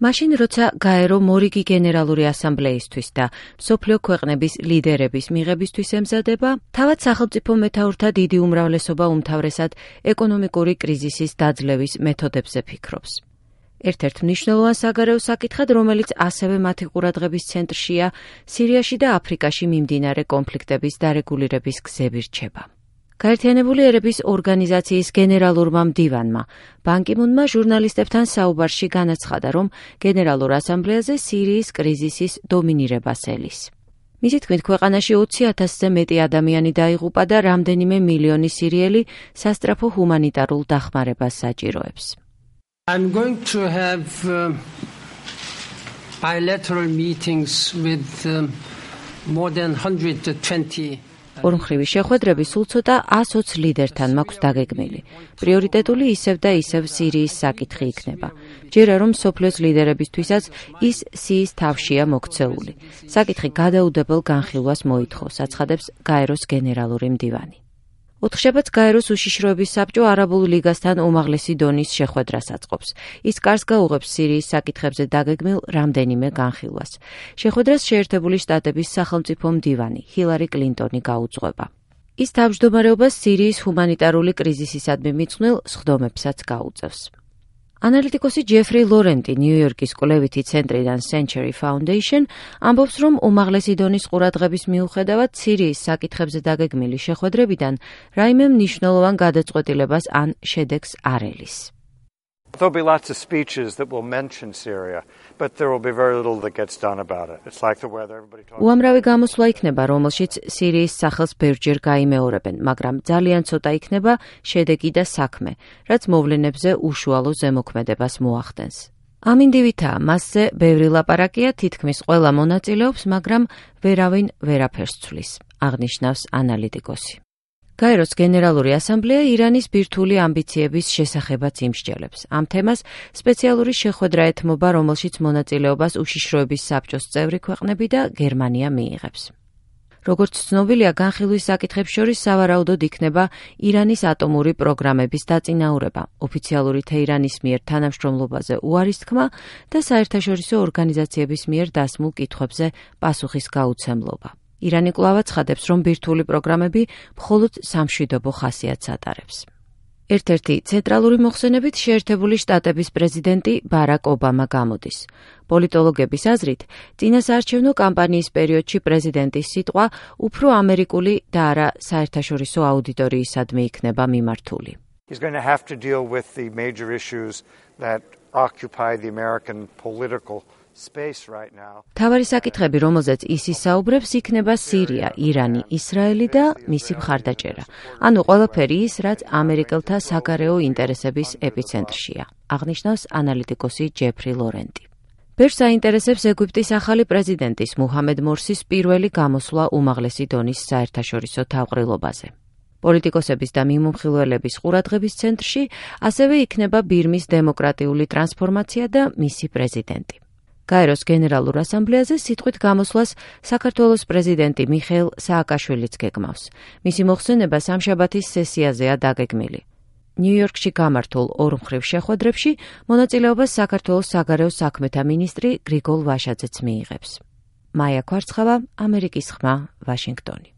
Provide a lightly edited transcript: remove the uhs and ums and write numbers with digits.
მაშინ, როცა გაერო მორიგი გენერალური ასამბლეისთვის და მსოფლიო ქვეყნების ლიდერების მიღებისთვის ემზადება, თავად სახელმწიფო მეთაურთა დიდი უმრავლესობა უმთავრესად ეკონომიკური კრიზისის დაძლევის მეთოდებზე ფიქრობს. ერთ-ერთ მნიშვნელოვან საგარეო საკითხად, რომელიც ასევე მათი ყურადღების ცენტრშია, სირიაში და აფრიკაში მიმდინარე კონფლიქტების დარეგულირების გზები რჩება. გაერთიანებული ერების ორგანიზაციის გენერალურმა მდივანმა ბან კი მუნმა ჟურნალისტებთან საუბარში განაცხადა, რომ გენერალურ ასამბლეაზე სირიის კრიზისის დომინირებას ელის. მისი თქმით, ქვეყანაში 20,000-ზე მეტი ადამიანი დაიღუპა და რამდენიმე მილიონი სირიელი სასწრაფო ჰუმანიტარულ დახმარებას საჭიროებს. I'm going to have bilateral meetings with more than 120 ორმხრივი შეხვედრები სულ ცოტა 120 ლიდერთან მაქვს დაგეგმილი. პრიორიტეტული ისევ და ისევ სირიის საკითხი იქნება. ჯერა რომ მსოფლიოს ლიდერებისთვისაც ის სიის თავშია მოქცეული. საკითხი გადაუდებელ განხილვას მოითხოვს, აცხადებს გაეროს გენერალური მდივანი. ოთხშაბათს გაეროს უშიშროების საბჭო არაბულ ლიგასთან უმაღლესი დონის შეხვედრას აწყობს. ის კარს გაუღებს სირიის საკითხებზე დაგეგმილ რამდენიმე განხილვას. შეხვედრას შეერთებული შტატების სახელმწიფო მდივანი ჰილარი კლინტონი გაუძღვება. ის თავმჯდომარეობას სირიის ჰუმანიტარული კრიზისისადმი მიძღვნილ სხდომებსაც გაუწევს. ანალიტიკოსი ჯეფრი ლორენტი ნიუ-იორკის კვლევითი ცენტრიდან Century Foundation ამბობს, რომ უმაღლესი დონის ყურადღების მიუხედავად სირიის საკითხებზე დაგეგმილი შეხვედრებიდან რაიმე მნიშვნელოვან გადაწყვეტილებას ან შედეგს არ ელის. There'll be lots of speeches that will mention Syria, but there will be very little that gets done about it. It's like the weather everybody talks about. უამრავი გამოსვლა იქნება, რომელშიც სირიის სახელს ბევრჯერ გაიმეორებენ, მაგრამ ძალიან ცოტა იქნება შედეგი და საქმე, რაც მოვლენებზე უშუალო ზემოქმედებას მოახდენს. ამ ინდივიდაა, მასზე ბევრი ლაპარაკია, თითქმის ყველა მონაწილეობს, მაგრამ ვერავინ ვერაფერს ცვლის, აღნიშნავს ანალიტიკოსი. გაეროს გენერალური ასამბლეა ირანის ბირთვული ამბიციების შესახებაც იმსჯელებს. ამ თემას სპეციალური შეხვედრა ეთმობა, რომელშიც მონაწილეობას უშიშროების საბჭოს წევრი ქვეყნები და გერმანია მიიღებს. როგორც ცნობილია, განხილვის საკითხებს შორის სავარაუდოდ იქნება ირანის ატომური პროგრამების დაწინაურება, ოფიციალური თეირანის მიერ თანამშრომლობაზე უარის თქმა და საერთაშორისო ორგანიზაციების მიერ დასმულ კითხვებზე პასუხის გაუცემლობა. ირანი კვლავ აცხადებს, რომ ბირთვული პროგრამები მხოლოდ სამშვიდობო ხასიათს ატარებს. ერთ-ერთი ცენტრალური მოხსენებით შეერთებული შტატების პრეზიდენტი ბარაკ ობამა გამოდის. პოლიტოლოგების აზრით, წინასაარჩევნო კამპანიის პერიოდში პრეზიდენტის სიტყვა უფრო ამერიკული და არა საერთაშორისო აუდიტორიისადმი იქნება მიმართული. He's going to have to deal with the major issues that occupy the American political space right now. თავარი საკითხები, რომელზეც ის ისაუბრებს, იქნება სირია, ირანი, ისრაელი და მისი მხარდაჭერა. ანუ ყველაფერი ის, რაც ამერიკელთა საგარეო ინტერესების ეპიცენტრშია, აღნიშნავს ანალიტიკოსი ჯეფრი ლორენტი. ბევრს აინტერესებს ეგვიპტის ახალი პრეზიდენტის მუჰამედ მორსის პირველი გამოსვლა უმაღლესი დონის საერთაშორისო თავყრილობაზე. პოლიტიკოსების და მიმომხილველების ყურადღების ცენტრში ასევე იქნება ბირმის დემოკრატიული ტრანსფორმაცია და მისი პრეზიდენტი. გაეროს გენერალურ ასამბლეაზე სიტყვით გამოსვლას საქართველოს პრეზიდენტი მიხეილ სააკაშვილიც გეგმავს. მისი მოხსენება სამშაბათის სესიაზეა დაგეგმილი. ნიუ-იორკში გამართულ ორმხრივ შეხვედრებში მონაწილეობას საქართველოს საგარეო საქმეთა მინისტრი გრიგოლ ვაშაძეც მიიღებს. მაია კვარცხავა, ამერიკის ხმა, ვაშინგტონი.